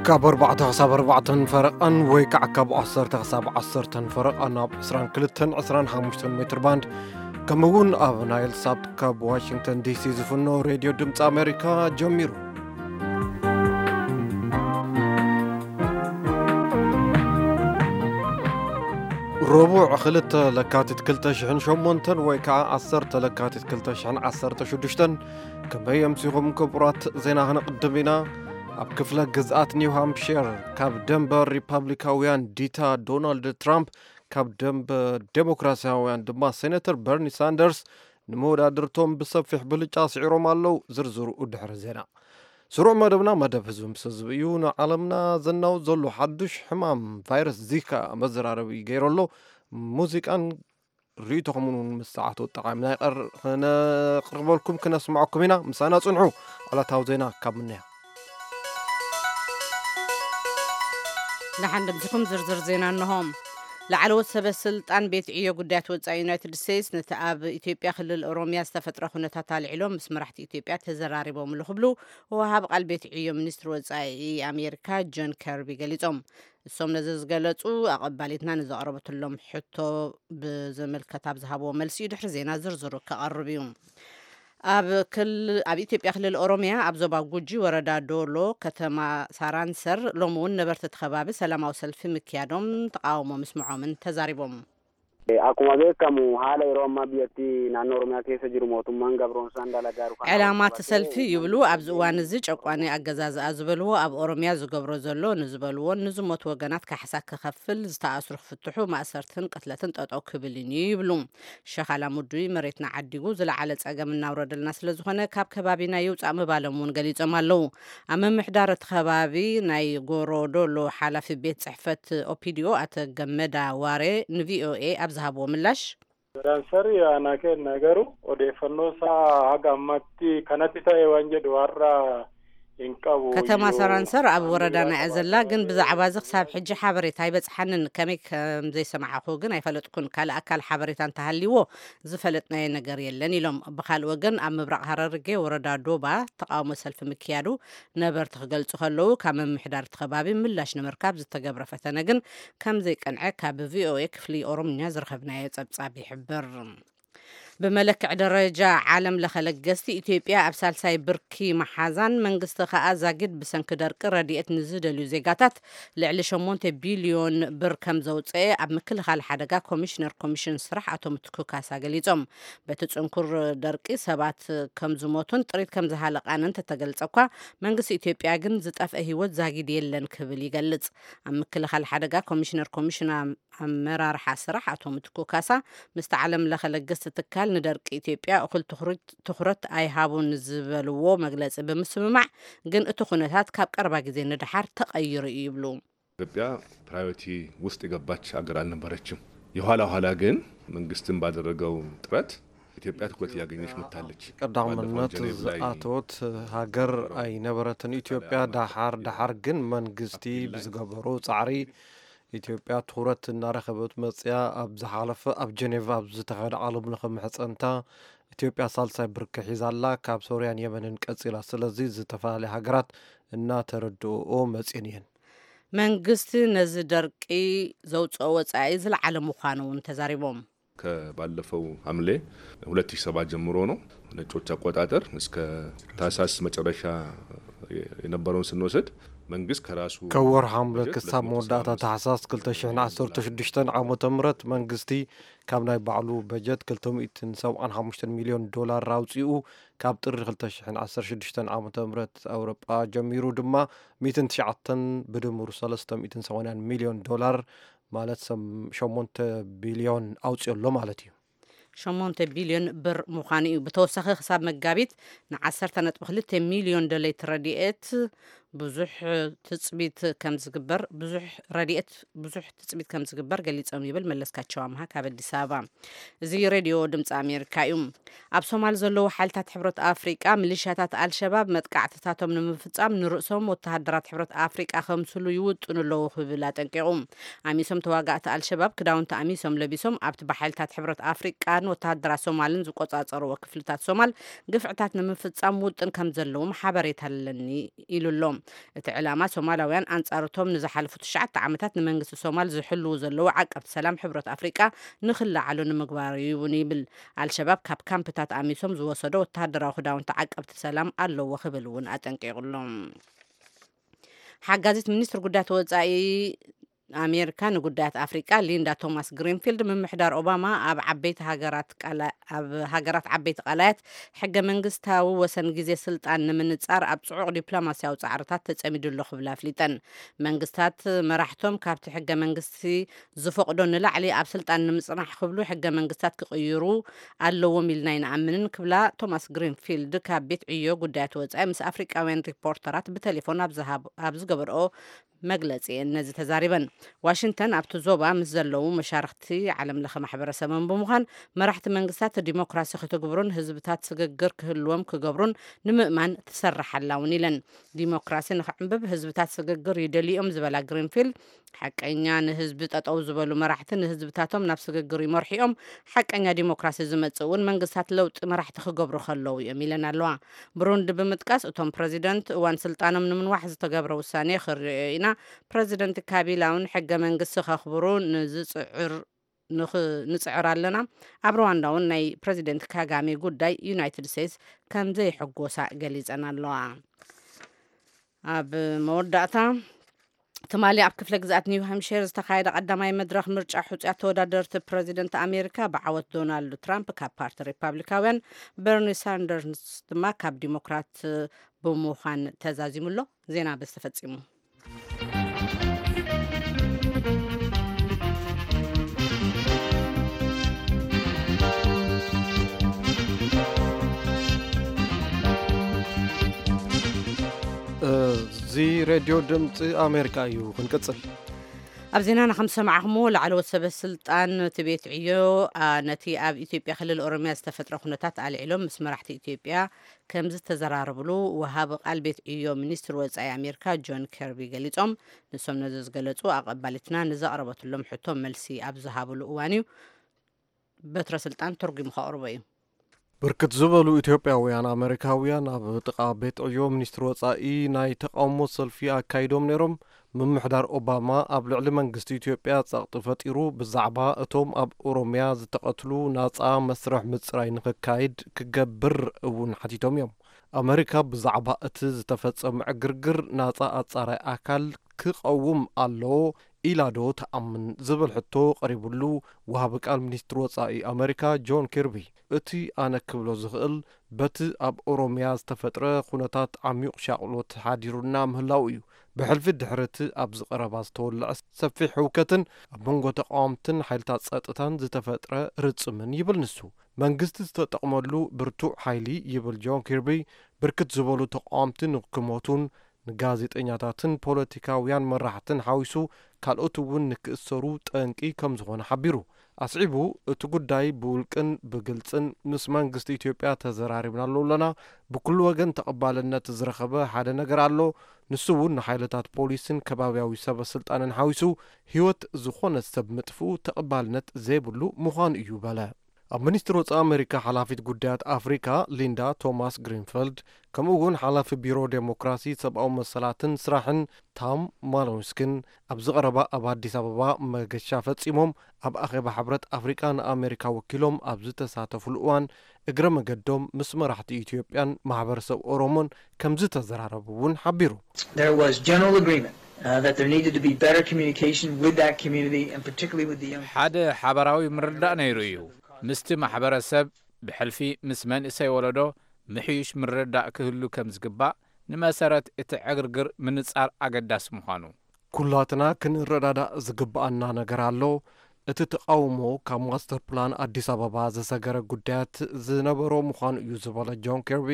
ካብ ኣርባዕተ ክሳብ ኣርባዕተን ፈረቓን ወይ ከዓ ካብ ዓሰርተ ክሳብ ዓሰርተን ፈረቓን ኣብ ዕስራን ክልተን ዕስራን ሓሙሽተን ሜትር ባንድ፣ ከምኡ እውን ኣብ ናይል ሳት ካብ ዋሽንግተን ዲሲ ዝፍኖ ሬድዮ ድምፂ ኣሜሪካ ጀሚሩ። ረቡዕ ክልተ ለካቲት ክልተ ሽሕን ሸሞንተን ወይ ከዓ ዓሰርተ ለካቲት ክልተ ሽሕን ዓሰርተ ሽዱሽተን። ከመይ ኣምሲኹም ክቡራት? ዜና ክንቕድም ኢና። ኣብ ክፍለ ግዝኣት ኒው ሃምፕሸር ካብ ደንበ ሪፓብሊካውያን ዲታ ዶናልድ ትራምፕ፣ ካብ ደንበ ዴሞክራሲያውያን ድማ ሴኔተር በርኒ ሳንደርስ ንመወዳድርቶም ብሰፊሕ ብልጫ ስዒሮም ኣለዉ። ዝርዝሩ ድሕሪ ዜና። ስሩዕ መደብና መደብ ህዝቢ ምስ ህዝቢ እዩ። ንዓለምና ዘናውጽ ዘሎ ሓዱሽ ሕማም ቫይረስ ዚካ መዘራረቢ ገይሩ ኣሎ። ሙዚቃን ርእይቶኹምን እውን ምስ ሰዓቱ ጠቓሚና ይቐር-፣ ክነቕርበልኩም ክነስምዐኩም ኢና። ምሳና ጽንሑ። ዕለታዊ ዜና ካብ ምንያ። ደሓን ደምሲኹም። ዝርዝር ዜና እንሆ። ላዕለዎት ሰበ ስልጣን ቤት ዕዮ ጉዳያት ወጻኢ ዩናይትድ ስቴትስ ነቲ ኣብ ኢትዮጵያ ክልል ኦሮሚያ ዝተፈጥረ ኩነታት ኣልዒሎም ምስ መራሕቲ ኢትዮጵያ ተዘራሪቦምሉ ክብሉ ወሃብ ቃል ቤት ዕዮ ሚኒስትሪ ወጻኢ ኣሜሪካ ጆን ከርቢ ገሊጾም። እሶም ነዚ ዝገለጹ ኣቐባሊትና ንዘቕረበትሎም ሕቶ ብዝምልከት ኣብ ዝሃብዎ መልሲ እዩ። ድሕሪ ዜና ዝርዝሩ ክቐርብ እዩ። ኣብ ክል-፣ ኣብ ኢትዮጵያ ክልል ኦሮሚያ ኣብ ዞባ ጉጂ ወረዳ ዶሎ ከተማ ሳራንሰር ሎሚ እውን ነበርቲ እቲ ከባቢ ሰላማዊ ሰልፊ ምክያዶም ተቃውሞ ምስምዖምን ተዛሪቦም። Akkuma beekamu haala yeroo ammaa biyyattii naannoo Oromiyaa keessa jiru mootummaan gabroonsaan dalagaa jiru kana ዕላማ እቲ ሰልፊ ይብሉ ኣብዚ እዋን እዚ ጨቋኒ ኣገዛዝኣ ዝበልዎ ኣብ ኦሮሚያ ዝገብሮ ዘሎ ንዝበልዎን ንዝሞቱ ወገናት ካሕሳ ክኸፍል፣ ዝተኣስሩ ክፍትሑ፣ ማእሰርትን ቅትለትን ጠጠው ክብልን እዩ ይብሉ። ሸኻላ ሙዱይ መሬትና ዓዲጉ ዝለዓለ ጸገም እናውረደልና ስለ ዝኾነ ካብ ከባቢና ይውጻእ ምባሎም እውን ገሊጾም ኣለዉ። ኣብ ምምሕዳር እቲ ከባቢ ናይ ጎሮ ዶሎ ሓላፊ ቤት ጽሕፈት ኦፒዲኦ ኣቶ ገመዳ ዋሬ ንቪኦኤ ኣብ ዝሃብዎ ምላሽ፣ Saransarri aanaa keenya garuu odeeffannoo isaa haga ammaatti kanatti ta'e waan jedhu har'a hin qabu. ከተማ ሰራንሰር ኣብ ወረዳና እያ ዘላ፣ ግን ብዛዕባ እዚ ክሳብ ሕጂ ሓበሬታ ኣይበጽሓንን። ከመይ ከም ዘይሰማዕኹ ግን ኣይፈለጥኩን። ካልእ ኣካል ሓበሬታ እንተሃልይዎ ዝፈለጥናዮ ነገር የለን ኢሎም። ብኻልእ ወገን ኣብ ምብራቕ ሃረርጌ ወረዳ ዶባ ተቃውሞ ሰልፊ ምክያዱ ነበርቲ ክገልጹ ከለዉ፣ ካብ ምምሕዳር እቲ ከባቢ ምላሽ ንምርካብ ዝተገብረ ፈተነ ግን ከም ዘይቀንዐ ካብ ቪኦኤ ክፍሊ ኦሮምኛ ዝረኸብናዮ ጸብጻብ ይሕብር። ብመለክዒ ደረጃ ዓለም ለኸ ለገስቲ ኢትዮጵያ ኣብ ሳልሳይ ብርኪ መሓዛን መንግስቲ ከኣ ዛጊድ ብሰንኪ ደርቂ ረድኤት ንዝደልዩ ዜጋታት ልዕሊ ሸሞንተ ቢልዮን ብር ከም ዘውፅአ ኣብ ምክልኻል ሓደጋ ኮሚሽነር ኮሚሽን ስራሕ ኣቶ ምትኩ ካሳ ገሊጾም። በቲ ጽንኩር ደርቂ ሰባት ከም ዝሞቱን ጥሪት ከም ዝሃለቓን እንተተገልጸ እኳ መንግስቲ ኢትዮጵያ ግን ዝጠፍአ ህይወት ዛጊድ የለን ክብል ይገልጽ። ኣብ ምክልኻል ሓደጋ ኮሚሽነር ኮሚሽን ኣመራርሓ ስራሕ ኣቶ ምትኩ ካሳ ምስቲ ዓለም ለኸ ለገስቲ ትካል ንደርቂ ኢትዮጵያ እኹል ትኹረት፣ ትኹረት ኣይሃቡን ዝበልዎ መግለጺ ብምስምማዕ ግን እቲ ኩነታት ካብ ቀረባ ግዜ ንደሓር ተቐይሩ እዩ ይብሉ። ኢትዮጵያ ፕራዮሪቲ ውስጥ የገባች ሀገር አልነበረችም። የኋላ ኋላ ግን መንግስትን ባደረገው ጥረት ኢትዮጵያ ትኩረት እያገኘች መጥታለች። ቀዳምነት ባለፈው ጀኔቭ ላይ ዝኣተወት ሃገር ኣይነበረትን ኢትዮጵያ። ዳሓር ዳሓር ግን መንግስቲ ብዝገበሮ ጻዕሪ ኢትዮጵያ ትኹረት እናረኸበት መጽያ። ኣብ ዝሓለፈ ኣብ ጀኔቭ ኣብ ዝተኻየደ ዓለም ለኸ ምሕጸንታ ኢትዮጵያ ሳልሳይ ብርኪ ሒዛ ኣላ፣ ካብ ሶርያን የመንን ቀጺላ። ስለዚ ዝተፈላለያ ሃገራት እናተረድኦ መጽየን እየን። መንግስቲ ነዚ ደርቂ ዘውፅኦ ወፃኢ ዝለዓለ ምዃኑ እውን ተዛሪቦም። ከባለፈው ሐምሌ ሁለት ሺህ ሰባት ጀምሮ ነው፣ ነጮች አቆጣጠር እስከ ታህሳስ መጨረሻ የነበረውን ስንወስድ መንግስት ከራሱ ካብ ወርሒ ሐምለ በጀት ክሳብ መወዳእታ ሁለት መቶ ሰባ ስድስት ታሕሳስ ክልተ ሽሕን ዓሰርተ ሽዱሽተን ዓመተ ምህረት መንግስቲ ካብ ናይ ባዕሉ በጀት ክልተ ሚእትን ሰብዓን ሓሙሽተን ሚልዮን ዶላር ኣውፂኡ ካብ ጥሪ ክልተ ሽሕን ዓሰርተ ሽዱሽተን ዓመተ ምህረት ኣውሮጳ ጀሚሩ ድማ ሚእትን ትሽዓተን ብድምሩ ሰለስተ ሚእትን ሰማንያን ሚልዮን ዶላር ማለት ሰም-፣ ሸሞንተ ቢልዮን ኣውፂኡ ኣሎ ማለት እዩ። ሸሞንተ ቢልዮን ብር ምዃኑ እዩ። ብተወሳኺ ክሳብ መጋቢት ንዓሰርተ ነጥቢ ክልተ ሚልዮን ደለይቲ ረድኤት ብዙሕ ትጽቢት ከም ዝግበር፣ ብዙሕ ረድኤት ብዙሕ ትጽቢት ከም ዝግበር ገሊጾም ይብል መለስካቸው ኣምሃ ካብ ኣዲስ ኣበባ። እዚ ሬድዮ ድምፂ ኣሜሪካ እዩ። ኣብ ሶማል ዘለዉ ሓይልታት ሕብረት ኣፍሪቃ ሚሊሻታት ኣልሸባብ መጥቃዕትታቶም ንምፍጻም ንርእሶም ወተሃደራት ሕብረት ኣፍሪቃ ከምስሉ ይውጥኑ ኣለዉ ክብል ኣጠንቂቑ። ኣሚሶም ተዋጋእቲ ኣልሸባብ ክዳውንቲ ኣሚሶም ለቢሶም ኣብቲ ብሓይልታት ሕብረት ኣፍሪቃን ወተሃደራት ሶማልን ዝቆጻጸርዎ ክፍልታት ሶማል ግፍዕታት ንምፍጻም ውጥን ከም ዘለዎም ሓበሬታ ኣለኒ ኢሉ ኣሎ። እቲ ዕላማ ሶማላውያን ኣንጻርቶም ንዝሓለፉ ትሽዓተ ዓመታት ንመንግስቲ ሶማል ዝሕልዉ ዘለዉ ዓቀብቲ ሰላም ሕብረት ኣፍሪቃ ንኽለዓሉ ንምግባር እዩ እውን ይብል። ኣልሸባብ ካብ ካምፕታት ኣሚሶም ዝወሰዶ ወተሃደራዊ ክዳውንቲ ዓቀብቲ ሰላም ኣለዎ ክብል እውን ኣጠንቂቑሎም። ሓጋዚት ሚኒስትር ጉዳያት ወጻኢ ኣሜሪካ ንጉዳያት ኣፍሪቃ ሊንዳ ቶማስ ግሪንፊልድ፣ ምምሕዳር ኦባማ ኣብ ዓበይቲ ሃገራት ቃላ- ኣብ ሃገራት ዓበይቲ ቃላያት ሕገ መንግስታዊ ወሰን ግዜ ስልጣን ንምንጻር ኣብ ጽዑቕ ዲፕሎማስያዊ ጻዕርታት ተጸሚዱ ኣሎ ክብላ ኣፍሊጠን። መንግስታት መራሕቶም ካብቲ ሕገ መንግስቲ ዝፈቕዶ ንላዕሊ ኣብ ስልጣን ንምጽናሕ ክብሉ ሕገ መንግስታት ክቕይሩ ኣለዎም ኢልና ኣይንኣምንን ክብላ ቶማስ ግሪንፊልድ ካብ ቤት ዕዮ ጉዳያት ወጻኢ ምስ ኣፍሪቃውያን ሪፖርተራት ብቴሌፎን ኣብ ዝሃብ- ኣብ ዝገበርኦ መግለጺ ነዚ ተዛሪበን። ዋሽንግተን ኣብቲ ዞባ ምስ ዘለዉ መሻርኽቲ ዓለም ለኸ ማሕበረሰብን ብምዃን መራሕቲ መንግስታት ዲሞክራሲ ክትግብሩን ህዝብታት ስግግር ክህልዎም ክገብሩን ንምእማን ትሰርሕ ኣላ እውን ኢለን። ዲሞክራሲ ንክዕንብብ ህዝብታት ስግግር ይደልዮም ዝበላ ግሪንፊልድ፣ ሓቀኛ ንህዝቢ ጠጠው ዝበሉ መራሕቲ ንህዝብታቶም ናብ ስግግር ይመርሑ እዮም። ሓቀኛ ዲሞክራሲ ዝመጽእ እውን መንግስታት ለውጢ መራሕቲ ክገብሩ ከለዉ እዮም ኢለን ኣለዋ። ብሩንዲ ብምጥቃስ እቶም ፕረዚደንት እዋን ስልጣኖም ንምንዋሕ ዝተገብረ ውሳኔ ክርእዮ ኢና። ፕረዚደንት ካቢላ እውን ሕገ መንግስቲ ከኽብሩ ንዝጽዕር ንኽ- ንጽዕር ኣለና። ኣብ ሩዋንዳ እውን ናይ ፕረዚደንት ካጋሜ ጉዳይ ዩናይትድ ስቴትስ ከም ዘይሕጎሳ ገሊጸን ኣለዋ። ኣብ መወዳእታ ትማሊ ኣብ ክፍለ ግዝኣት ኒው ሃምሽር ዝተኻየደ ቀዳማይ መድረኽ ምርጫ ሕፁያት ተወዳደርቲ ፕረዚደንት ኣሜሪካ ብዓወት ዶናልድ ትራምፕ ካብ ፓርቲ ሪፓብሊካውያን፣ በርኒ ሳንደርስ ድማ ካብ ዲሞክራት ብምዃን ተዛዚሙ ኣሎ። ዜና በዚ ተፈጺሙ። እዚ ሬድዮ ድምፂ ኣሜሪካ እዩ። ክንቅፅል። ኣብ ዜናና ከም ዝሰማዕኹምዎ፣ ላዕለዎት ሰበ ስልጣን እቲ ቤት ዕዮ፣ አ፣ ነቲ ኣብ ኢትዮጵያ ክልል ኦሮሚያ ዝተፈጥረ ኩነታት ኣልዒሎም ምስ መራሕቲ ኢትዮጵያ ከም ዝተዘራረብሉ ወሃቢ ቃል ቤት ዕዮ ሚኒስትሪ ወጻኢ ኣሜሪካ ጆን ከርቢ ገሊጾም። ንሶም ነዚ ዝገለጹ፣ ኣቐባሊትና ንዘቕረበትሎም ሕቶ መልሲ ኣብ ዝሃብሉ እዋን እዩ። በትረ ስልጣን ተርጒሙ ከቕርቦ እዩ። ብርክት ዝበሉ ኢትዮጵያውያን ኣመሪካውያን ኣብ ጥቓ ቤት ዕዮ ሚኒስትሪ ወጻኢ ናይ ተቓውሞ ሰልፊ ኣካይዶም ነይሮም። ምምሕዳር ኦባማ ኣብ ልዕሊ መንግስቲ ኢትዮጵያ ጸቕጢ ፈጢሩ፣ ብዛዕባ እቶም ኣብ ኦሮሚያ ዝተቐትሉ ናጻ መስርሕ ምጽራይ ንኽካይድ ክገብር እውን ሓቲቶም እዮም። ኣመሪካ ብዛዕባ እቲ ዝተፈጸመ ዕግርግር ናጻ ኣጻራይ ኣካል ክቐውም ኣለዎ ኢላ ዶ ትኣምን ዝብል ሕቶ ቀሪብሉ፣ ወሃቢ ቃል ሚኒስትሪ ወጻኢ ኣመሪካ ጆን ኪርቢ፣ እቲ ኣነ ክብሎ ዝኽእል፣ በቲ ኣብ ኦሮሚያ ዝተፈጥረ ኩነታት ዓሚቕ ሻቕሎት ሓዲሩና ምህላው እዩ። ብሕልፊ ድሕሪ እቲ ኣብዚ ቀረባ ዝተወልዐ ሰፊሕ ህውከትን ኣብ መንጎ ተቓወምትን ሓይልታት ጸጥታን ዝተፈጥረ ርጽምን ይብል ንሱ። መንግስቲ ዝተጠቕመሉ ብርቱዕ ሓይሊ ይብል ጆን ኪርቢ፣ ብርክት ዝበሉ ተቓወምቲ ንክሞቱን ንጋዜጠኛታትን ፖለቲካውያን መራሕትን ሓዊሱ ካልኦት እውን ንክእሰሩ ጠንቂ ከም ዝኾነ ሓቢሩ። ኣስዒቡ፣ እቲ ጉዳይ ብውልቅን ብግልጽን ምስ መንግስቲ ኢትዮጵያ ተዘራሪብናሉ ኣለና። ብኩሉ ወገን ተቐባልነት ዝረኸበ ሓደ ነገር ኣሎ። ንሱ እውን ንሓይልታት ፖሊስን ከባብያዊ ሰበ ስልጣንን ሓዊሱ ህይወት ዝኾነ ሰብ ምጥፍኡ ተቐባልነት ዘይብሉ ምዃኑ እዩ በለ። ኣብ ሚኒስትሪ ወጻኢ ኣመሪካ ሓላፊት ጉዳያት ኣፍሪካ ሊንዳ ቶማስ ግሪንፈልድ፣ ከምኡ እውን ሓላፊ ቢሮ ዴሞክራሲ፣ ሰብኣዊ መሰላትን ስራሕን ታም ማሎንስክን ኣብዚ ቀረባ ኣብ ኣዲስ ኣበባ መገሻ ፈጺሞም ኣብ ኣኼባ ሕብረት ኣፍሪቃ ንኣሜሪካ ወኪሎም ኣብ ዝተሳተፉሉ እዋን እግረ መገዶም ምስ መራሕቲ ኢትዮጵያን ማሕበረሰብ ኦሮሞን ከም ዝተዘራረቡ እውን ሓቢሩ። There was general agreement uh, that there needed to be better communication with that community and particularly with the young ሓደ ሓበራዊ ምርዳእ ነይሩ እዩ። ምስቲ ማሕበረሰብ ብሕልፊ ምስ መንእሰይ ወለዶ ምሕዩሽ ምርዳእ ክህሉ ከም ዝግባእ፣ ንመሰረት እቲ ዕግርግር ምንጻር ኣገዳሲ ምዃኑ። ኩላትና ክንረዳዳእ ዝግብኣና ነገር ኣሎ። እቲ ተቓውሞ ካብ ማስተር ፕላን ኣዲስ ኣበባ ዝሰገረ ጉዳያት ዝነበሮ ምዃኑ እዩ ዝበለ ጆን ኬርቢ፣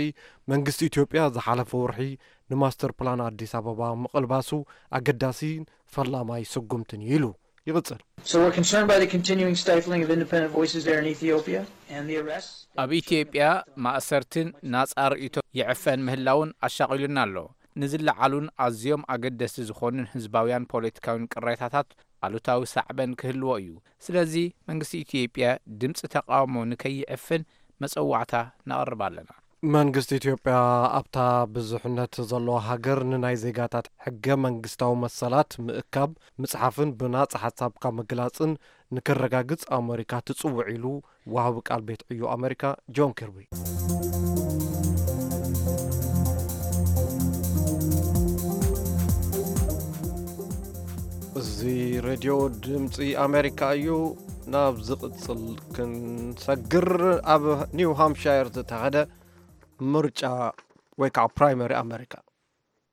መንግስቲ ኢትዮጵያ ዝሓለፈ ወርሒ ንማስተር ፕላን ኣዲስ ኣበባ ምቕልባሱ ኣገዳሲን ፈላማይ ስጉምትን እዩ ኢሉ ይቕጽል። So we're concerned by the continuing stifling of independent voices there in Ethiopia and the arrests. ኣብ ኢትዮጵያ ማእሰርትን ናጻ ርእይቶ ይዕፈን ምህላውን ኣሻቒሉና ኣሎ። ንዝለዓሉን ኣዝዮም ኣገደስቲ ዝኾኑን ህዝባውያን ፖለቲካውያን ቅሬታታት ኣሉታዊ ሳዕበን ክህልዎ እዩ። ስለዚ መንግስቲ ኢትዮጵያ ድምፂ ተቓውሞ ንከይዕፍን መጸዋዕታ ነቕርብ ኣለና። መንግስቲ ኢትዮጵያ ኣብታ ብዙሕነት ዘለዋ ሃገር ንናይ ዜጋታት ሕገ መንግስታዊ መሰላት ምእካብ፣ ምጽሓፍን ብናጻ ሓሳብካ ምግላጽን ንክረጋግጽ ኣመሪካ ትጽውዕ ኢሉ ወሃቢ ቃል ቤት ዕዮ ኣመሪካ ጆን ኪርቢ። እዚ ሬድዮ ድምፂ ኣሜሪካ እዩ። ናብ ዝቕፅል ክንሰግር፣ ኣብ ኒው ሃምፕሻየር ዝተኻየደ ምርጫ ወይ ከዓ ፕራይመሪ ኣመሪካ።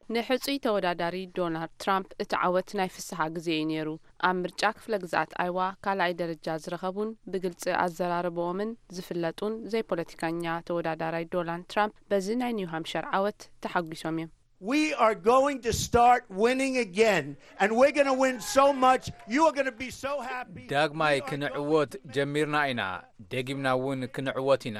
ንሕጹይ ተወዳዳሪ ዶናልድ ትራምፕ እቲ ዓወት ናይ ፍስሓ ግዜ እዩ ነይሩ። ኣብ ምርጫ ክፍለ ግዝኣት ኣይዋ ካልኣይ ደረጃ ዝረኸቡን ብግልጺ ኣዘራርባኦምን ዝፍለጡን ዘይፖለቲካኛ ተወዳዳራይ ዶናልድ ትራምፕ በዚ ናይ ኒው ሃምፕሸር ዓወት ተሓጒሶም እዮም። We are going to start winning again, and we're going to win so much. You are going to be so happy. ዳግማይ ክንዕወት ጀሚርና ኢና፣ ደጊምና እውን ክንዕወት ኢና።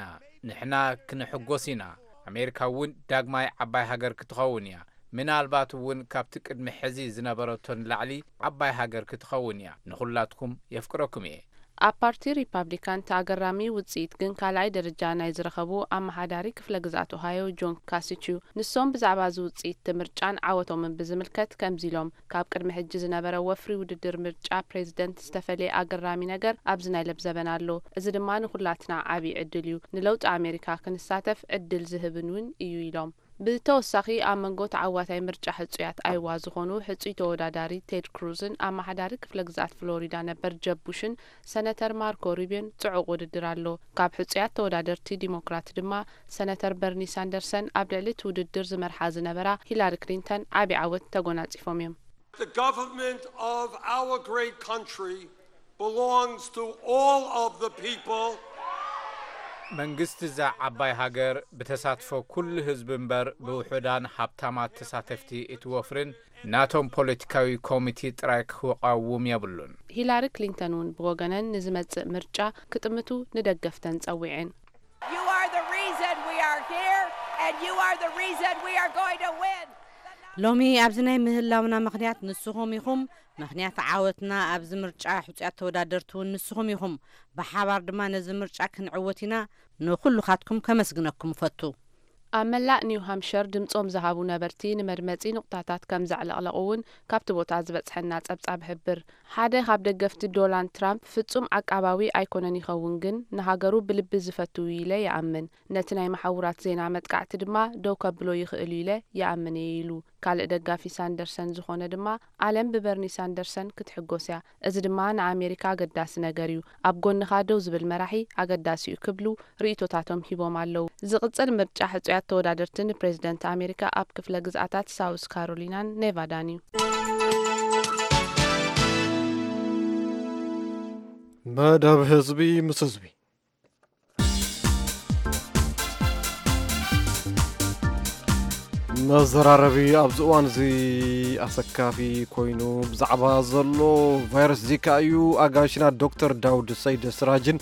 ንሕና ክንሕጎስ ኢና። ኣሜሪካ እውን ዳግማይ ዓባይ ሃገር ክትኸውን እያ። ምናልባት እውን ካብቲ ቅድሚ ሕዚ ዝነበረቶ ንላዕሊ ዓባይ ሃገር ክትኸውን እያ። ንኹላትኩም የፍቅረኩም እየ። ኣብ ፓርቲ ሪፓብሊካን እቲ ኣገራሚ ውጽኢት ግን ካልኣይ ደረጃ ናይ ዝረኸቡ ኣመሓዳሪ ክፍለ ግዝኣት ኦሃዮ ጆን ካሲች እዩ። ንሶም ብዛዕባ እዚ ውጽኢት እቲ ምርጫን ዓወቶምን ብዝምልከት ከምዚ ኢሎም፣ ካብ ቅድሚ ሕጂ ዝነበረ ወፍሪ ውድድር ምርጫ ፕሬዝደንት ዝተፈለየ ኣገራሚ ነገር ኣብዚ ናይ ለብ ዘበን ኣሎ። እዚ ድማ ንኹላትና ዓቢ ዕድል እዩ። ንለውጢ ኣሜሪካ ክንሳተፍ ዕድል ዝህብን እውን እዩ ኢሎም። ብተወሳኺ ኣብ መንጎ ተዓዋታይ ምርጫ ሕጹያት ኣይዋ ዝኾኑ ሕጹይ ተወዳዳሪ ቴድ ክሩዝን ኣመሓዳሪ ክፍለ ግዝኣት ፍሎሪዳ ነበር ጀብ ቡሽን ሰነተር ማርኮ ሩቢዮን ጽዑቕ ውድድር ኣሎ። ካብ ሕጹያት ተወዳደርቲ ዲሞክራት ድማ ሰነተር በርኒ ሳንደርሰን ኣብ ልዕሊ እቲ ውድድር ዝመርሓ ዝነበራ ሂላሪ ክሊንተን ዓቢ ዓወት ተጎናጺፎም እዮም። The government of our great country belongs to all of the people. መንግስቲ እዛ ዓባይ ሃገር ብተሳትፎ ኩሉ ህዝቢ እምበር ብውሑዳን ሃብታማት ተሳተፍቲ እቲ ወፍርን ናቶም ፖለቲካዊ ኮሚቴ ጥራይ ክቃወም የብሉን። ሂላሪ ክሊንተን እውን ብወገነን ንዝመጽእ ምርጫ ክጥምቱ ንደገፍተን ጸዊዐን። You are the reason we are here, and you are the reason we are going to win. ሎሚ ኣብዚ ናይ ምህላውና ምኽንያት ንስኹም ኢኹም። ምኽንያት ዓወትና ኣብዚ ምርጫ ሕጹያት ተወዳደርቲ እውን ንስኹም ኢኹም። ብሓባር ድማ ነዚ ምርጫ ክንዕወት ኢና። ንኹልኻትኩም ከመስግነኩም እፈቱ። ኣብ መላእ ኒው ሃምፕሸር ድምጾም ዝሃቡ ነበርቲ ንመድመጺ ንቑጣታት ከም ዘዕለቕለቑ እውን ካብቲ ቦታ ዝበጽሐና ጸብጻብ ይሕብር። ሓደ ካብ ደገፍቲ ዶናልድ ትራምፕ ፍጹም ዓቃባዊ ኣይኮነን ይኸውን፣ ግን ንሃገሩ ብልቢ ዝፈቱ እዩ ኢለ ይኣምን። ነቲ ናይ መሓውራት ዜና መጥቃዕቲ ድማ ደው ከብሎ ይኽእል እዩ ኢለ ይኣምን እየ ኢሉ። ካልእ ደጋፊ ሳንደርሰን ዝኾነ ድማ፣ ዓለም ብበርኒ ሳንደርሰን ክትሕጎስ እያ። እዚ ድማ ንኣሜሪካ ኣገዳሲ ነገር እዩ። ኣብ ጎንኻ ደው ዝብል መራሒ ኣገዳሲ እዩ ክብሉ ርእይቶታቶም ሂቦም ኣለዉ። ዝቕጽል ምርጫ ሕጹያት ተወዳደርቲ ንፕሬዝደንት ኣሜሪካ ኣብ ክፍለ ግዝኣታት ሳውስ ካሮሊናን ኔቫዳን እዩ። መደብ ህዝቢ ምስ ህዝቢ። መዘራረቢ ኣብዚ እዋን እዚ ኣሰካፊ ኮይኑ ብዛዕባ ዘሎ ቫይረስ ዚካ እዩ። ኣጋይሽና ዶክተር ዳውድ ሰይድ ስራጅን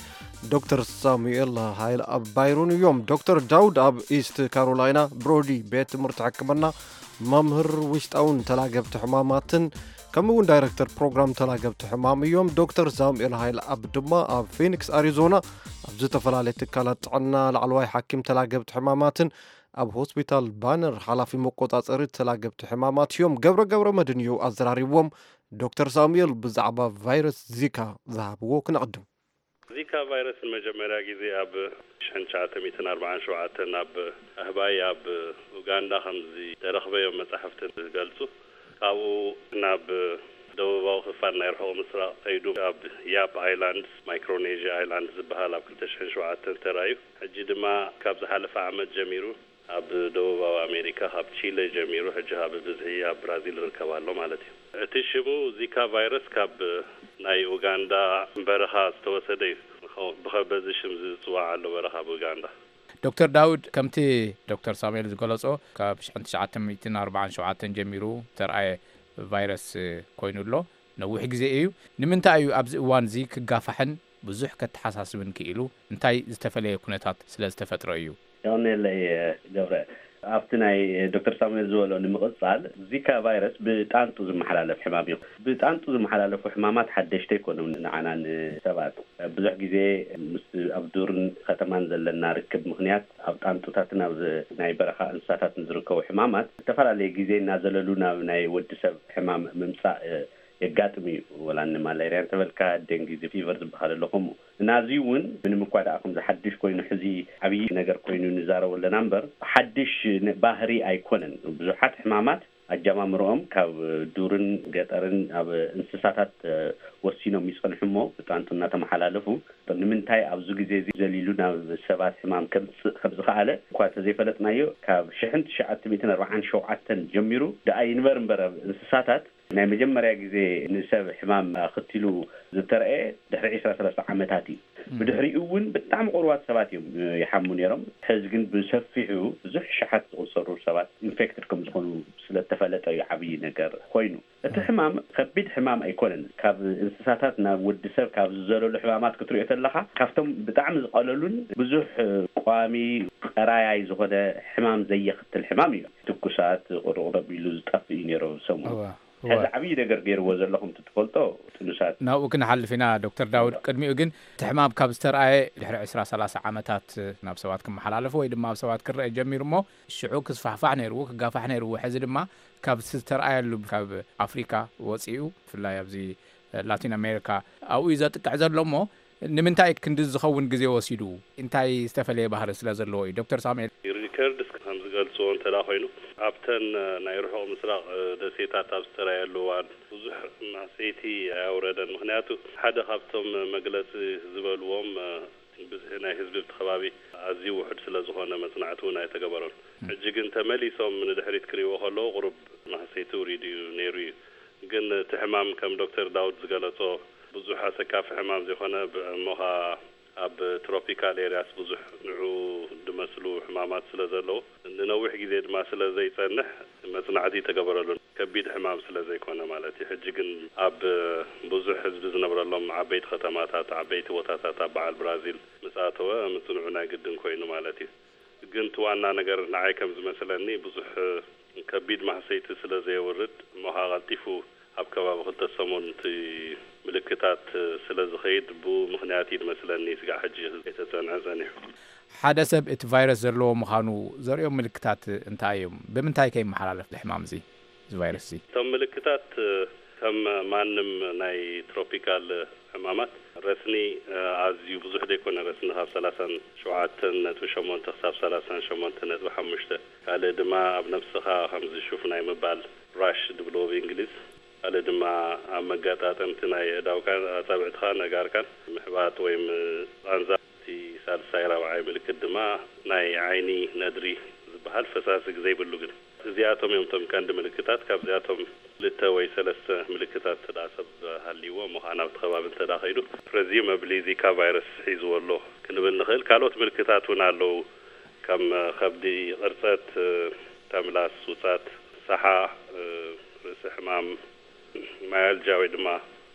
ዶክተር ሳሙኤል ሃይል ኣብ ባይሩን እዮም። ዶክተር ዳውድ ኣብ ኢስት ካሮላይና ብሮዲ ቤት ትምህርቲ ሕክምና መምህር ውሽጣውን ተላገብቲ ሕማማትን ከምኡ እውን ዳይረክተር ፕሮግራም ተላገብቲ ሕማም እዮም። ዶክተር ሳሙኤል ሃይል ኣብ ድማ ኣብ ፊኒክስ ኣሪዞና ኣብ ዝተፈላለየ ትካላት ጥዕና ላዕለዋይ ሓኪም ተላገብቲ ሕማማትን ኣብ ሆስፒታል ባነር ሓላፊ መቆጻጸሪ ተላገብቲ ሕማማት እዮም። ገብረ ገብረ መድን እዩ ኣዘራሪብዎም። ዶክተር ሳሙኤል ብዛዕባ ቫይረስ ዚካ ዝሃብዎ ክነቕድም። ዚካ ቫይረስ ንመጀመርያ ግዜ ኣብ ሽሕን ትሽዓተ ሚእትን ኣርባዓን ሸውዓተን ኣብ ኣህባይ ኣብ ኡጋንዳ ከም ዝተረኽበ እዮም መጻሕፍቲ ዝገልጹ። ካብኡ ናብ ደቡባዊ ክፋል ናይ ርሑቕ ምስራቕ ከይዱ ኣብ ያፕ ኣይላንድስ፣ ማይክሮኔዥያ ኣይላንድስ ዝበሃል ኣብ ክልተ ሽሕን ሸውዓተን ተራእዩ። ሕጂ ድማ ካብ ዝሓለፈ ዓመት ጀሚሩ ኣብ ደቡባዊ ኣሜሪካ ካብ ቺለ ጀሚሩ ሕጂ ኣብ ብዝሒ ኣብ ብራዚል ይርከብ ኣሎ ማለት እዩ። እቲ ሽሙ ዚካ ቫይረስ ካብ ናይ ኡጋንዳ በረኻ ዝተወሰደ እዩ። ብኸ-፣ በዚ ሽም ዝጽዋዕ ኣሎ በረኻ ኣብ ኡጋንዳ። ዶክተር ዳውድ፣ ከምቲ ዶክተር ሳሙኤል ዝገለጾ ካብ ሽሕን ትሽዓተ ሚእትን ኣርባዓን ሸውዓተን ጀሚሩ ተርኣየ ቫይረስ ኮይኑ ኣሎ። ነዊሕ ግዜ እዩ። ንምንታይ እዩ ኣብዚ እዋን እዚ ክጋፋሕን ብዙሕ ከተሓሳስብን ክኢሉ? እንታይ ዝተፈለየ ኩነታት ስለ ዝተፈጥረ እዩ? የቐንየለይ ገብረ። ኣብቲ ናይ ዶክተር ሳሙኤል ዝበሎ ንምቕጻል፣ ዚካ ቫይረስ ብጣንጡ ዝመሓላለፍ ሕማም እዩ። ብጣንጡ ዝመሓላለፉ ሕማማት ሓደሽቲ ኣይኮኑን ንዓና ንሰባት። ብዙሕ ግዜ ምስ ኣብ ዱርን ከተማን ዘለና ርክብ ምኽንያት ኣብ ጣንጡታትን ኣብ ናይ በረኻ እንስሳታትን ዝርከቡ ሕማማት ዝተፈላለየ ግዜ እናዘለሉ ናብ ናይ ወዲ ሰብ ሕማም ምምጻእ የጋጥም እዩ። ወላ ንማላርያ እንተበልካ፣ ደንጊ ፊቨር ዝበሃል ኣሎ ከምኡ። ናዚ እውን ምንም እኳ ደኣ ከምዚ ሓድሽ ኮይኑ ሕዚ ዓብዪ ነገር ኮይኑ ንዛረቦ ኣለና እምበር፣ ሓድሽ ነ-፣ ባህሪ ኣይኮነን። ብዙሓት ሕማማት ኣጀማምርኦም ካብ ዱርን ገጠርን ኣብ እንስሳታት፣ እ፣ ወሲኖም ይጸንሑ እሞ ብጣንጡ እናተመሓላለፉ፣ ንምንታይ ኣብዚ ግዜ እዚ ዘሊሉ ናብ ሰባት ሕማም ከምጽእ ከም ዝኸኣለ እኳ እንተዘይፈለጥናዮ፣ ካብ ሽሕን ትሽዓተ ሚእትን ኣርባዓን ሸውዓተን ጀሚሩ ደኣ ይንበር እምበር ኣብ እንስሳታት ናይ መጀመርያ ግዜ ንሰብ ሕማም ኣኽቲሉ ዝተረእየ ድሕሪ ዕስራ ሰላሳ ዓመታት እዩ። ብድሕሪኡ እውን ብጣዕሚ ቁሩባት ሰባት እዮም፣ እ፣ ይሓሙ ነይሮም። ሕዚ ግን ብሰፊሑ ብዙሕ ሸሓት ዝቑጸሩ ሰባት ኢንፌክትድ ከም ዝኾኑ ስለተፈለጠ እዩ ዓብዪ ነገር ኮይኑ። እቲ ሕማም ከቢድ ሕማም ኣይኮነን። ካብ እንስሳታት ናብ ወዲ ሰብ ካብ ዝዘለሉ ሕማማት ክትሪኦ ተለኻ፣ ካብቶም ብጣዕሚ ዝቐለሉን ብዙሕ፣ እ፣ ቋሚ ቀራያይ ዝኾነ ሕማም ዘየኽትል ሕማም እዩ። ትኩሳት፣ ቁርቁር ኣቢሉ ዝጠፍእ እዩ ነይሩ ሰሙን። እዋ፣ እዋ። ሕዚ ዓብዪ ነገር ገይርዎ ዘሎ ከምቲ ትፈልጦ ጥኑሳት። ናብኡ ክንሓልፍ ኢና ዶክተር ዳውድ። ቅድሚኡ ግን እቲ ሕማም ካብ ዝተርኣየ ድሕሪ ዕስራ ሰላሳ ዓመታት ናብ ሰባት ክመሓላለፍ ወይ ድማ ኣብ ሰባት ክረአ ጀሚሩ እሞ ሽዑ ክስፋሕፋሕ ነይርዎ፣ ክጋፋሕ ነይርዎ። ሕዚ ድማ ካብ ዝተርኣየሉ ካብ ኣፍሪካ ወፂኡ ብፍላይ ኣብዚ ላቲን ኣሜሪካ ኣብኡ እዩ ዘጥቅዕ ዘሎ እሞ ንምንታይ ክንዲ ዝኸውን ግዜ ወሲዱ? እንታይ ዝተፈለየ ባህሪ ስለ ዘለዎ እዩ? ዶክተር ሳሙኤል። ሪከርድስ ከም ዝገልጽዎ እንተ ደኣ ኮይኑ፣ ኣብተን ናይ ርሑቕ ምስራቕ ደሴታት ኣብ ዝተራየሉ እዋን ብዙሕ ማህሰይቲ ኣየውረደን። ምኽንያቱ ሓደ ካብቶም መግለጺ ዝበልዎም ብዝሒ ናይ ህዝቢ ኣብቲ ከባቢ ኣዝዩ ውሑድ ስለ ዝኾነ መጽናዕቲ እውን ኣይተገበሮን። ሕጂ ግን ተመሊሶም ንድሕሪት ክርእይዎ ከለዉ ቁሩብ ማህሰይቲ ውሪዱ እዩ ነይሩ እዩ። ግን እቲ ሕማም ከም ዶክተር ዳውድ ዝገለጾ ብዙሕ ኣሰካፊ ሕማም ዘይኮነ፣ ብ-፣ እሞ ኸኣ ኣብ ትሮፒካል ኤርያስ ብዙሕ ንዑ ዝመስሉ ሕማማት ስለ ዘለዉ፣ ንነዊሕ ግዜ ድማ ስለ ዘይጸንሕ መጽናዕቲ ተገበረሉ። ከቢድ ሕማም ስለ ዘይኮነ ማለት እዩ። ሕጂ ግን ኣብ ብዙሕ ህዝቢ ዝነብረሎም ዓበይቲ ከተማታት፣ ዓበይቲ ቦታታት ኣብ በዓል ብራዚል ምስ ኣተወ ምጽንዑ ናይ ግድን ኮይኑ ማለት እዩ። ግን እቲ ዋና ነገር ንዓይ ከም ዝመስለኒ ብዙሕ ከቢድ ማህሰይቲ ስለ ዘየውርድ እሞ ኸኣ ቀልጢፉ ኣብ ከባቢ ክልተ ሰሙን እቲ ምልክታት ስለ ዝኸይድ ብኡ ምኽንያት እዩ ዝመስለኒ ስጋዕ ሕጂ ከይተጸንዐ ጸኒሑ። ሓደ ሰብ እቲ ቫይረስ ዘለዎ ምዃኑ ዘርእዮም ምልክታት እንታይ እዮም? ብምንታይ ከ ይመሓላለፍ እዚ ሕማም እዚ? እዚ ቫይረስ እዚ? እቶም ምልክታት ከም ማንም ናይ ትሮፒካል ሕማማት ረስኒ ኣዝዩ ብዙሕ ዘይኮነ፣ ረስኒ ካብ ሰላሳን ሸውዓተን ነጥቢ ሸሞንተ ክሳብ ሰላሳን ሸሞንተ ነጥቢ ሓሙሽተ። ካልእ ድማ ኣብ ነብስኻ ከምዚ ሹፍ ናይ ምባል፣ ራሽ ድብልዎ ብእንግሊዝ። ካልእ ድማ ኣብ መጋጣጠምቲ ናይ ኣእዳውካን ኣጻብዕትኻን ኣእጋርካን ምሕባጥ ወይ ም-፣ ቃንዛ። እቲ ሳልሳይ ራብዓይ ምልክት ድማ ናይ ዓይኒ ነድሪ ዝበሃል ፈሳሲ ዘይብሉ ግን። እዚኣቶም እዮም እቶም ቀንዲ ምልክታት። ካብዚኣቶም ክልተ ወይ ሰለስተ ምልክታት እንተ ደኣ ሰብ ሃልይዎ፣ እሞ ኸዓ ናብቲ ከባቢ እንተ ደኣ ኸይዱ፣ ፕረዚዩመብሊ ዚካ ቫይረስ ሒዝዎ ኣሎ ክንብል ንኽእል። ካልኦት ምልክታት እውን ኣለዉ። ከም ከብዲ ቕርጸት፣ ተምላስ፣ ውጻት፣ ሳሓ፣ ርእሲ ሕማም፣ ማያልጃ ወይ ድማ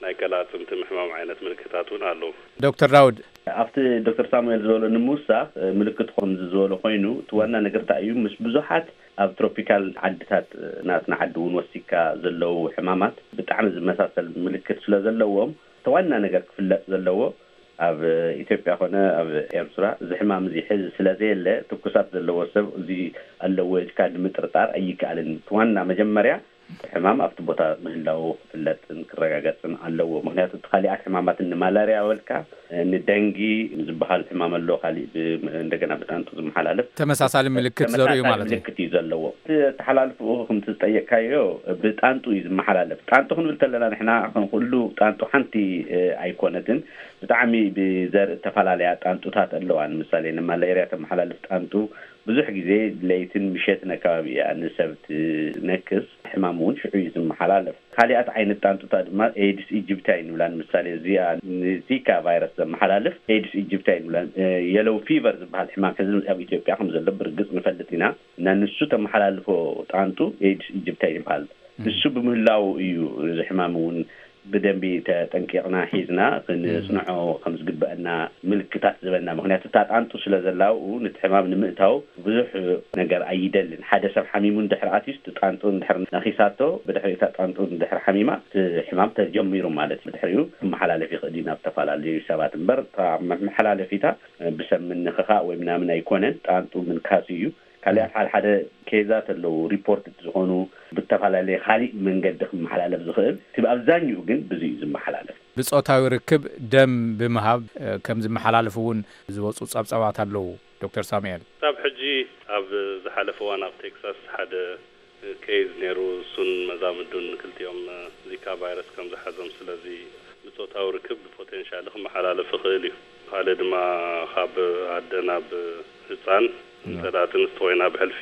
ናይ ቀላጽምቲ ምሕማም ዓይነት ምልክታት እውን ኣለዉ። ዶክተር ዳውድ። ኣብቲ ዶክተር ሳሙኤል ዝበሎ ንምውሳኽ፣ ምልክት ከምዚ ዝበሎ ኮይኑ፣ እቲ ዋና ነገር እንታይ እዩ? ምስ ብዙሓት ኣብ ትሮፒካል ዓድታት፣ ናትና ዓዲ እውን ወሲካ ዘለዉ ሕማማት ብጣዕሚ ዝመሳሰል ምልክት ስለ ዘለዎም፣ እቲ ዋና ነገር ክፍለጥ ዘለዎ፣ ኣብ ኢትዮጵያ ኮነ ኣብ ኤርትራ እዚ ሕማም እዚ ሕዚ ስለ ዘየለ፣ ትኩሳት ዘለዎ ሰብ እዚ ኣለዎ ኢልካ ንምጥርጣር ኣይከኣልን። እቲ ዋና መጀመርያ ሕማም ኣብቲ ቦታ ምህላዉ ክፍለጥን ክረጋገጽን ኣለዎ። ምኽንያቱ እቲ ካሊኣት ሕማማት ንማላርያ በልካ፣ ንደንጊ ዝበሃል ሕማም ኣሎ፣ ካሊእ ብ-፣ እንደገና ብጣንጡ ዝመሓላለፍ ተመሳሳሊ ምልክት ተመሳሳሊ ዘርእዩ ማለት እዩ። ምልክት እዩ ዘለዎ። እቲ ኣተሓላልፍኡ ከምቲ ዝጠየቅካዮ ብጣንጡ እዩ ዝመሓላለፍ። ጣንጡ ክንብል ተለና ንሕና ከም ኩሉ ጣንጡ ሓንቲ፣ እ፣ ኣይኮነትን። ብጣዕሚ ብዘርኢ እተፈላለያ ጣንጡታት ኣለዋ። ንምሳሌ ንማላርያ ተመሓላልፍ ጣንጡ ብዙሕ ግዜ ለይትን ምሸትን ኣከባቢ እያ ንሰብ ትነክስ። ሕማም እውን ሽዑ እዩ ዝመሓላለፍ። ካሊኣት ዓይነት ጣንጡታት ድማ ኤድስ ኢጅፕትያ ንብላ። ንምሳሌ እዚኣ ንዚካ ቫይረስ ዘመሓላልፍ ኤድስ ኢጅፕትያ ንብላ። እ፣ የሎው ፊቨር ዝበሃል ሕማም ሕዚ ኣብ ኢትዮጵያ ከም ዘሎ ብርግጽ ንፈልጥ ኢና። እና ንሱ ተመሓላልፎ ጣንጡ ኤድስ ኢጅፕትያ ይበሃል። እም። ንሱ ብምህላው እዩ እዚ ሕማም እውን ብደንቢ ተጠንቂቕና ሒዝና ክንጽንዖ ከም ዝግበአና ምልክታት ዝበና። ምኽንያቱ እታ ጣንጡ ስለ ዘላውኡ ነቲ ሕማም ንምእታው ብዙሕ ነገር ኣይደልን። ሓደ ሰብ ሓሚሙ እንድሕር ኣትዩስ ጣንጡ እንድሕር ነኺሳቶ፣ ብድሕሪ እታ ጣንጡ እንድሕር ሓሚማ እቲ ሕማም ተጀሚሩ ማለት እዩ። ብድሕሪኡ ክመሓላለፍ ይኽእል እዩ ናብ ዝተፈላለዩ ሰባት። እምበር እታ መመሓላለፊታ ብሰብ ምንኽኻእ ወይ ምናምን ኣይኮነን፣ ጣንጡ ምንካሱ እዩ። ካልኣት ሓደ ሓደ ኬዛት ኣለዉ፣ ሪፖርት ዝኾኑ ብተፈላለየ ካሊእ መንገዲ ክመሓላለፍ ዝኽእል። እቲ ኣብዛኛኡ ግን ብዙ እዩ ዝመሓላለፍ። ብጾታዊ ርክብ ደም ብምሃብ ከም ዝመሓላለፍ እውን ዝወፁ ጸብጻባት ኣለዉ። ዶክተር ሳሙኤል። ክሳብ ሕጂ ኣብ ዝሓለፈ እዋን ኣብ ቴክሳስ ሓደ ኬዝ ነይሩ። እሱን መዛምዱን ክልቲኦም ዚካ ቫይረስ ከም ዝሓዞም፣ ስለዚ ብጾታዊ ርክብ ብፖቴንሻሊ ክመሓላለፍ ይኽእል እዩ። ካልእ ድማ ካብ ኣደ ናብ ህፃን፣ እንተ ደኣ ጥንስቲ ኮይና ብሕልፊ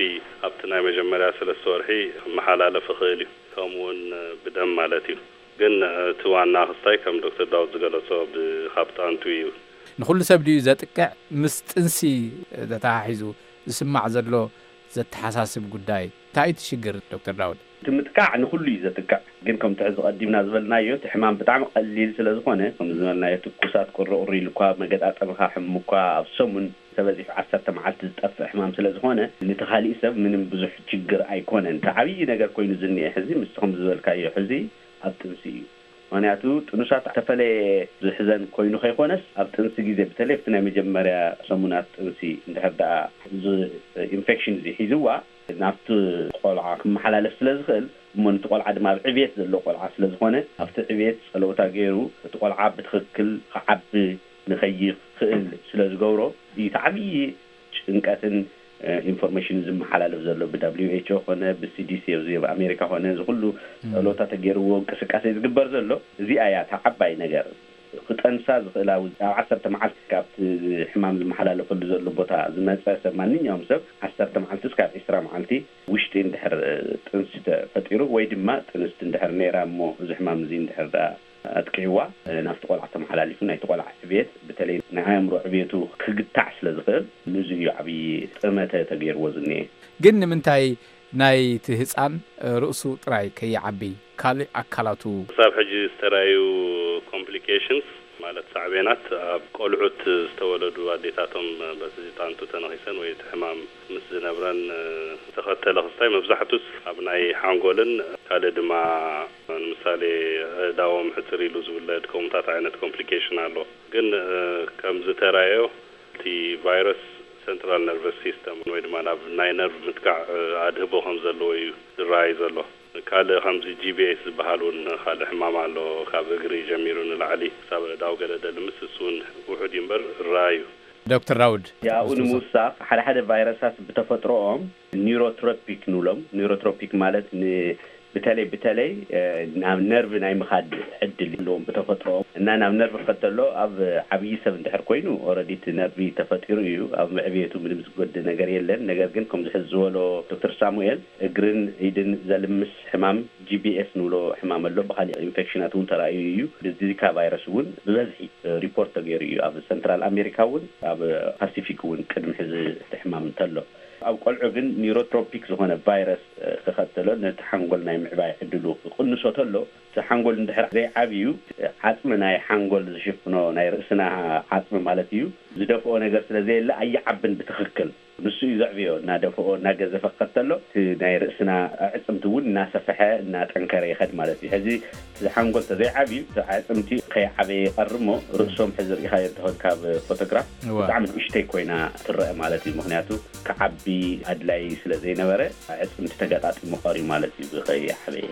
ኣብቲ ናይ መጀመርያ ሰለስተ ወርሒ ክመሓላለፍ ይኽእል እዩ። ከምኡ እውን ብደም ማለት እዩ። ግን እቲ ዋና ክስታይ ከም ዶክተር ዳውድ ዝገለጾ ብ-፣ ካብ ጣንቱ እዩ። ንኹሉ ሰብ ድዩ ዘጥቅዕ? ምስ ጥንሲ ተተሓሒዙ ዝስማዕ ዘሎ ዘተሓሳስብ ጉዳይ እንታይ እዩ እቲ ሽግር ዶክተር ዳውድ? እቲ ምጥቃዕ ንኹሉ እዩ ዘጥቅዕ። ግን ከምቲ ሕዚ ቀዲምና ዝበልናዮ እቲ ሕማም ብጣዕሚ ቀሊል ስለ ዝኾነ፣ ከም ዝበልናዮ ትኩሳት ቁሪ ቁሪ ኢሉ እኳ መገጣጠምኻ ሕሙ እኳ ኣብ ሰሙን ተበዚሑ ዓሰርተ መዓልቲ ዝጠፍእ ሕማም ስለ ዝኾነ፣ ነቲ ካሊእ ሰብ ምንም ብዙሕ ችግር ኣይኮነን። እቲ ዓብዪ ነገር ኮይኑ ዝኒኤ ሕዚ ምስቲ ከም ዝበልካዮ ሕዚ ኣብ ጥንሲ እዩ። ምኽንያቱ ጥኑሳት ዝተፈለየ ዝሕዘን ኮይኑ ከይኮነስ ኣብ ጥንሲ ግዜ በተለይ ኣብቲ ናይ መጀመርያ ሰሙናት ጥንሲ እንድሕር ደኣ እዚ ኢንፌክሽን እዚ ሒዝዋ ናብቲ ቆልዓ ክመሓላለፍ ስለ ዝኽእል እሞ ነቲ ቆልዓ ድማ ኣብ ዕብየት ዘሎ ቆልዓ ስለ ዝኾነ ኣብቲ ዕብየት ጸለውታ ገይሩ እቲ ቆልዓ ብትኽክል ክዓቢ ንኸይኽእል ስለ ዝገብሮ እዩ እቲ ዓብዪ ጭንቀትን ኢንፎርሜሽን ዝመሓላለፍ ዘሎ ብ ደብሊው ኤች ኦ ኮነ ብ ሲ ዲ ሲ እዚ ኣብ ኣሜሪካ ኮነ እዚ ኩሉ ጸሎታ ተገይርዎ እንቅስቃሴ ዝግበር ዘሎ። እዚኣ እያ እታ ዓባይ ነገር። ክጠንሳ ዝኽእላ ኣብ ዓሰርተ መዓልቲ ካብቲ ሕማም ዝመሓላለፈሉ ዘሎ ቦታ ዝመጸ ሰብ ማንኛውም ሰብ ዓሰርተ መዓልቲ እስካብ ዕስራ መዓልቲ ውሽጢ እንድሕር ጥንሲ ተፈጢሩ ወይ ድማ ጥንስቲ እንድሕር ነይራ እሞ እዚ ሕማም እዚ እንድሕር ደኣ ኣጥቂዕዋ ናብቲ ቆልዓ ተመሓላሊፉ ናይቲ ቆልዓ ዕብየት በተለይ ናይ ኣእምሮ ዕብየቱ ክግታዕ ስለ ዝኽእል ንዚ እዩ ዓብዪ ጥመተ ተገይርዎ ዝኒኤ። ግን ንምንታይ ናይቲ ህፃን ርእሱ ጥራይ ከይዓቢ ካልእ ኣካላቱ ክሳብ ሕጂ ዝተራዩ ኮምፕሊኬሽንስ ማለት ሳዕቤናት ኣብ ቆልዑት ዝተወለዱ ኣዴታቶም በቲ ጣንቱ ተነኺሰን ወይ እቲ ሕማም ምስ ዝነብረን ዝተኸተለ ክስታይ መብዛሕቱስ ኣብ ናይ ሓንጎልን ካልእ ድማ ንምሳሌ ኣእዳዎም ሕፅር ኢሉ ዝውለድ ከምኡታት ዓይነት ኮምፕሊኬሽን ኣሎ። ግን ከም ዝተራዮ እቲ ቫይረስ ሰንትራል ነርቨስ ሲስተም ወይ ድማ ናብ ናይ ነርቭ ምጥቃዕ ኣድህቦ ከም ዘለዎ እዩ ዝረኣይ ዘሎ። ካልእ ከምዚ ጂ ቢ ኤስ ዝበሃል እውን ካልእ ሕማም ኣሎ፣ ካብ እግሪ ጀሚሩ ንላዕሊ ክሳብ ኣእዳው ገለ ደልምስ፣ እሱ እውን ውሑድ እዩ እምበር ራእዩ። ዶክተር ዳውድ። ያኡ ንምውሳኽ ሓደ ሓደ ቫይረሳት ብተፈጥሮኦም ኒውሮትሮፒክ ንብሎም። ኒውሮትሮፒክ ማለት ን-፣ በተለይ በተለይ ናብ ነርቭ ናይ ምኻድ ዕድል ኣለዎም ብተፈጥሮኦም እና ናብ ነርቭ ክኸድ ተሎ ኣብ ዓብዪ ሰብ እንድሕር ኮይኑ ኦረዲ እቲ ነርቪ ተፈጢሩ እዩ። ኣብ ምዕብየቱ ምንም ዝጎድእ ነገር የለን። ነገር ግን ከምዚ ሕዚ ዝበሎ ዶክተር ሳሙኤል እግርን ኢድን ዘልምስ ሕማም ጂ ቢ ኤስ ንብሎ ሕማም ኣሎ። ብኻሊእ ኢንፌክሽናት እውን ተራእዩ እዩ። ብዚካ ቫይረስ እውን ብበዝሒ ሪፖርት ተገይሩ እዩ ኣብ ሰንትራል ኣሜሪካ እውን ኣብ ፓሲፊክ እውን ቅድሚ ሕዚ እቲ ሕማም እንተሎ። ኣብ ቆልዑ ግን ኒውሮትሮፒክ ዝኾነ ቫይረስ ክኸተሎ ነቲ ሓንጎል ናይ ምዕባይ ዕድሉ ክቕንሶ ተሎ እቲ ሓንጎል እንድሕር ዘይዓብዩ ዓፅሚ ናይ ሓንጎል ዝሽፍኖ ናይ ርእስና ዓፅሚ ማለት እዩ ዝደፍኦ ነገር ስለ ዘየለ ኣይዓብን ብትኽክል። ንሱ እዩ ዘዕብዮ እናደፍኦ እናገዘፈ ክኸተሎ እቲ ናይ ርእስና ኣዕፅምቲ እውን እናሰፈሐ እናጠንከረ ይኸድ ማለት እዩ። ሕዚ እቲ ሓንጎል ተዘይዓብዩ እቲ ኣዕፅምቲ ከይዓበየ ይቐርሞ ርእሶም ሕዚ ርኢኻዮ እንተኾን ካብ ፎቶግራፍ እወ። ብጣዕሚ ንእሽተይ ኮይና ትረአ ማለት እዩ። ምኽንያቱ ክዓቢ ኣድላይ ስለ ዘይነበረ ኣዕፅምቲ ተገጣጢሙ ቀርዩ ማለት እዩ ብኸይዓበየ።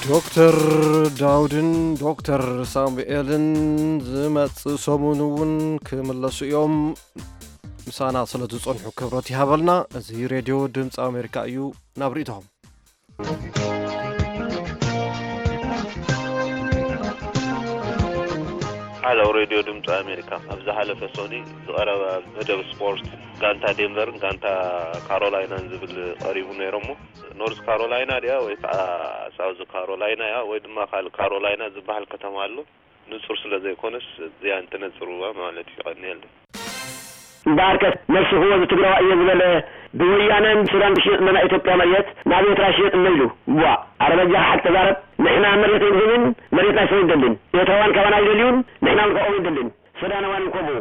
ዶክተር ዳውድን ዶክተር ሳሙኤልን ዝመጽእ ሰሙን እውን ክምለሱ እዮም። ምሳና ስለ ዝጸንሑ ክብረት ይሃበልና። እዚ ሬድዮ ድምፂ ኣሜሪካ እዩ። ናብ ርእይቶኹም። ሓለው ሬድዮ ድምፂ ኣሜሪካ ኣብ ዝሓለፈ ሰኑይ ዝቐረበ መደብ ስፖርት ጋንታ ዴንቨርን ጋንታ ካሮላይናን ዝብል ቀሪቡ ነይሮሞ። ኖርዝ ካሮላይና ድያ ወይ ከዓ ሳውዝ ካሮላይና እያ ወይ ድማ ካልእ ካሮላይና ዝበሃል ከተማ ኣሎ። ንጹር ስለ ዘይኮነስ እዚኣ እንተነጽርዋ ማለት እዩ። የቐንየለይ። እምበኣርከስ ነስኽዎ ዝትግራዋይ እየ ዝበለ ብወያነን ሱዳን ክሽየጥ እሎ ናይ ኢትዮጵያ መሬት ናብ ኤርትራ ይሽየጥ እሎ ኢሉ። ቧእ! ኣረ በጃኻ ሓቂ ተዛረብ። ንሕና መሬት ኣይንህብን፣ መሬትና ኣይንደልን። ኤርትራውያን ካባና ኣይደልዩን፣ ንሕና እውን ካብኦም ኣይንደልን። ሱዳናውያን እውን ከምኡ።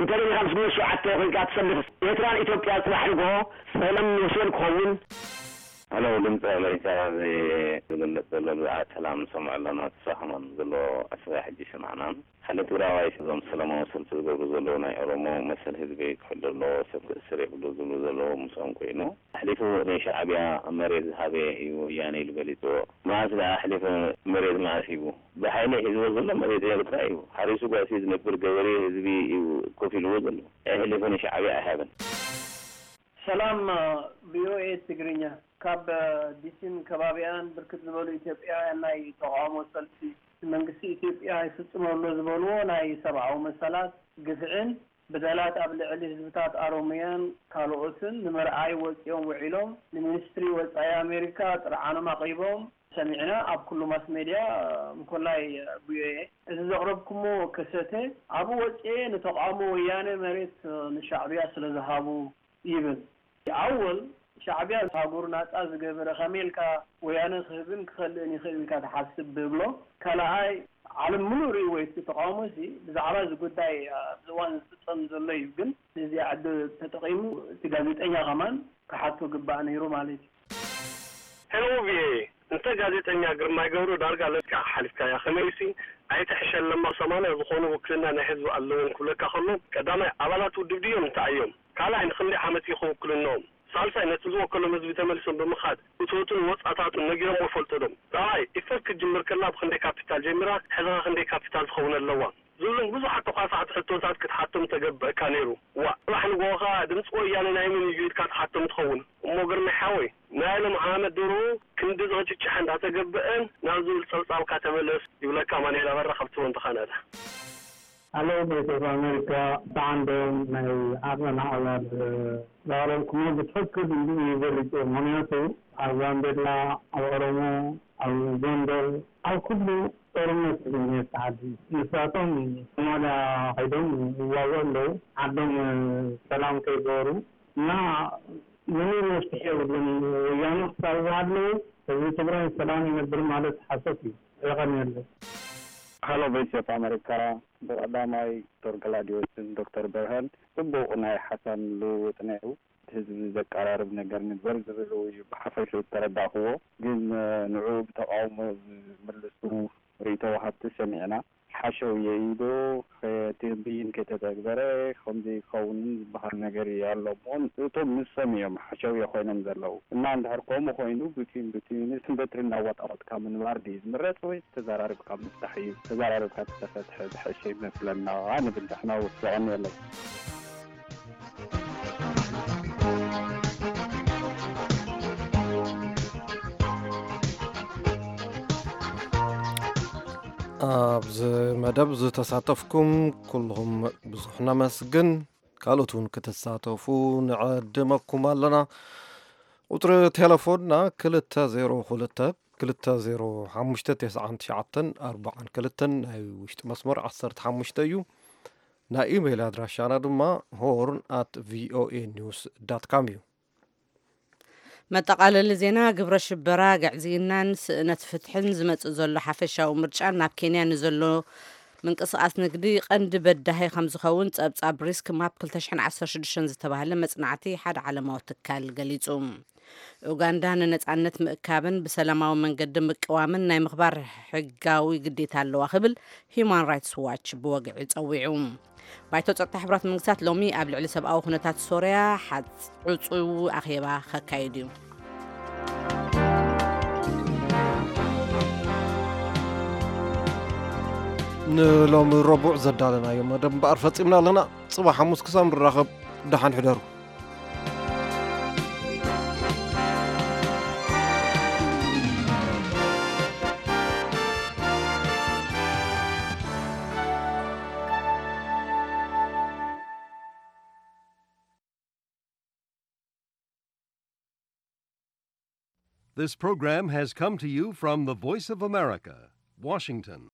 እንተ ደሊኻ ምስ ግንቦት ሸውዓተ ኮይንካ ትሰልፍ ኤርትራን ኢትዮጵያ ጽባሕ ንግሆ ሰላም ንወስበን ክኸውን። ሄሎ፣ ድምፂ ኣሜሪካ። እዚ ዝግለፅ ዘሎ ብዛዕባ ሰላም ንሰምዖ ኣለና። ተሳኸማን ዘሎ ኣስበያ ሕጂ ይሰማዕና። ሓደ ትግራዋይ እዞም ሰላማዊ ሰልፊ ዝገብሩ ዘለዉ ናይ ኦሮሞ መሰል ህዝቢ ክሕሉ ኣለዎ፣ ሰብ ክእስር የብሉ ዝብሉ ዘለዉ ምስኦም ኮይኑ፣ ኣሕሊፉ ንሻዕብያ መሬት ዝሃበ እዩ ወያነ ኢሉ ገሊፅዎ። መዓስ ደኣ ኣሕሊፉ መሬት መዓስ ሂቡ? ብሓይሊ ሒዝዎ ዘሎ መሬት ኤርትራ እዩ። ሓሪሱ ጓሲ ዝነብር ገበሬ ህዝቢ እዩ ኮፍ ኢልዎ ዘሎ። ኣሕሊፉ ንሻዕብያ ኣይሃበን። ሰላም ቪኦኤ ትግርኛ፣ ካብ ዲሲን ከባቢኣን ብርክት ዝበሉ ኢትዮጵያውያን ናይ ተቓውሞ ሰልፊ፣ መንግስቲ ኢትዮጵያ ይፍጽሞ ኣሎ ዝበልዎ ናይ ሰብኣዊ መሰላት ግፍዕን በደላት ኣብ ልዕሊ ህዝብታት ኣሮሞያን ካልኦትን ንምርኣይ ወጺኦም ውዒሎም፣ ንሚኒስትሪ ወጻኢ ኣሜሪካ ጥርዓኖም ኣቕሪቦም ሰሚዕና፣ ኣብ ኩሉ ማስ ሜድያ፣ እንኮላይ ቪኦኤ። እዚ ዘቕረብኩሞ ከሰተ፣ ኣብኡ ወጺኤ ንተቓውሞ ወያነ መሬት ንሻዕብያ ስለ ዝሃቡ ይብል። ኣወል፣ ሻዕብያ ሃገሩ ናጻ ዝገበረ ከመይ ኢልካ ወያነ ክህብን ክኸልእን ይኽእል ኢልካ ትሓስብ ብብሎ። ካልኣይ፣ ዓለም ምሉእ ርእይዎ እዩ። እቲ ተቓውሞሲ ብዛዕባ እዚ ጉዳይ ኣብዚ እዋን ዝፍጸም ዘሎ እዩ። ግን ነዚኣ ዕድል ተጠቒሙ እቲ ጋዜጠኛ ከማን ክሓቶ ግባእ ነይሩ ማለት እዩ። ሄሎ ቪኦኤ፣ እንተ ጋዜጠኛ ግርማይ ገብሩ ዳርጋ ለኪዓ ሓሊፍካያ፣ ከመይሲ ኣይትሕሸን ለማ ሰማንያ ዝኾኑ ውክልና ናይ ህዝቢ ኣለዎም ክብለካ ከሎ፣ ቀዳማይ ኣባላት ውድብ ድዮም እንታይ እዮም? ካልኣይ ንኽንደይ ዓመት እዩ ክውክልንኦም? ሳልሳይ ነቲ ዝወከሎም ህዝቢ ተመሊሶም ብምኻድ እቶቱን ወጻታቱን ነጊሮምዎ ይፈልጡ ዶ? ራብዓይ ኢፈርት ክትጅምር ከላ ብኽንደይ ካፒታል ጀሚራ፣ ሕዚ ኸ ክንደይ ካፒታል ትኸውን ኣለዋ? ዝብሉን ብዙሓት ተዃሳዕቲ ሕቶታት ክትሓቶም ተገብእካ ነይሩ። ዋእ፣ ጽባሕ ንግሆ ኸኣ ድምጺ ወያነ ናይ መን እዩ ኢልካ ትሓቶም ትኸውን። እሞ ግርማይ ሓወይ፣ ናይ ሎም ዓመት ድሮ ክንዲ ዝቕጭጭሕ እንዳተገብአን ናብ ዝብል ጸብጻብካ ተመለስ ይብለካ ኣማኑኤል ኣበራ ካብ ቶሮንቶ ካናዳ። ሃሎ ቮይስ ኦፍ ኣሜሪካ፣ ብዓንዶም ናይ ዓቐን ኣዕላል ዘቕረብኩሞ ብትኽክል እንዲኡ እዩ ገሊጹ። ምኽንያቱ ኣብ ጋምቤላ፣ ኣብ ኦሮሞ፣ ኣብ ጎንደር፣ ኣብ ኩሉ ጦርነት እዩ ዝነብስ ዓዲ። ንሳቶም ሶማልያ ከይዶም ይዋግኡ ኣለዉ። ዓዶም ሰላም ከይገበሩ እና ምንም መፍትሒ የብሉን። ወያነ ክሳብ ዝሃለዉ ህዝቢ ትግራይ ሰላም ይነብር ማለት ሓሶት እዩ። የቐንየለይ። ሃሎ ቮይስ ኦፍ ኣመሪካ፣ ብቐዳማይ ዶክተር ገላድዮስን ዶክተር በርሀን ጽቡቕ ናይ ሓሳብ ልውውጥ ነይሩ። ህዝቢ ዘቀራርብ ነገር ንግበር ዝብል እዩ ብሓፈሽኡ ዝተረዳእኽዎ። ግን ንዑ ብተቓውሞ ዝምልሱ ርእይቶ ወሃብቲ ሰሚዕና። ሓሸውየ ኢሉ እቲ ብይን ከይተተግበረ ከምዚ ክኸውን ዝበሃል ነገር ኣሎ እሞ እቶም ንሶም እዮም ሓሸውየ ኮይኖም ዘለዉ። እና እንድሕር ከምኡ ኮይኑ ብትዩን ብትዩንስ በትሪ እናዋጣወጥካ ምንባር ድዩ ዝምረፅ ወይስ ተዘራሪብካ ምፍታሕ እዩ? ተዘራሪብካ ተተፈትሐ ዝሐሸ ይመስለና ንብል ንሕና እውን። የቐንየለይ። ኣብዚ መደብ ዝተሳተፍኩም ኩልኹም ብዙሕ ነመስግን። ካልኦት እውን ክትሳተፉ ንዕድመኩም ኣለና። ቁፅሪ ቴሌፎንና ክልተ ዜሮ ክልተ ክልተ ዜሮ ሓሙሽተ ተስዓን ትሽዓተን ኣርባዓን ክልተን ናይ ውሽጢ መስመር ዓሰርተ ሓሙሽተ እዩ። ናይ ኢሜይል ኣድራሻና ድማ ሆርን ኣት ቪኦኤ ኒውስ ዳት ካም እዩ። መጠቓለሊ ዜና። ግብረ ሽበራ፣ ግዕዝይናን ስእነት ፍትሕን ዝመጽእ ዘሎ ሓፈሻዊ ምርጫን ናብ ኬንያ ንዘሎ ምንቅስቓስ ንግዲ ቀንዲ በዳሂ ከም ዝኸውን ጸብጻብ ሪስክ ማፕ ክልተ ሽሕን ዓሰርተ ሽዱሽተን ዝተባህለ መጽናዕቲ ሓደ ዓለማዊ ትካል ገሊጹ። ኡጋንዳ ንነጻነት ምእካብን ብሰላማዊ መንገዲ ምቅዋምን ናይ ምኽባር ሕጋዊ ግዴታ ኣለዋ ክብል ሂዩማን ራይትስ ዋች ብወግዒ ጸዊዑ። ባይቶ ጸጥታ ሕቡራት መንግስታት ሎሚ ኣብ ልዕሊ ሰብኣዊ ኩነታት ሶርያ ሓጽ- ዕጹው ኣኼባ ከካይድ እዩ። ንሎሚ ረቡዕ ዘዳለናዮ መደብ እምበኣር ፈጺምና ኣለና። ጽባሕ ሓሙስ ክሳብ ንራኸብ፣ ደሓን ሕደሩ። This program has come to you from the Voice of America, Washington.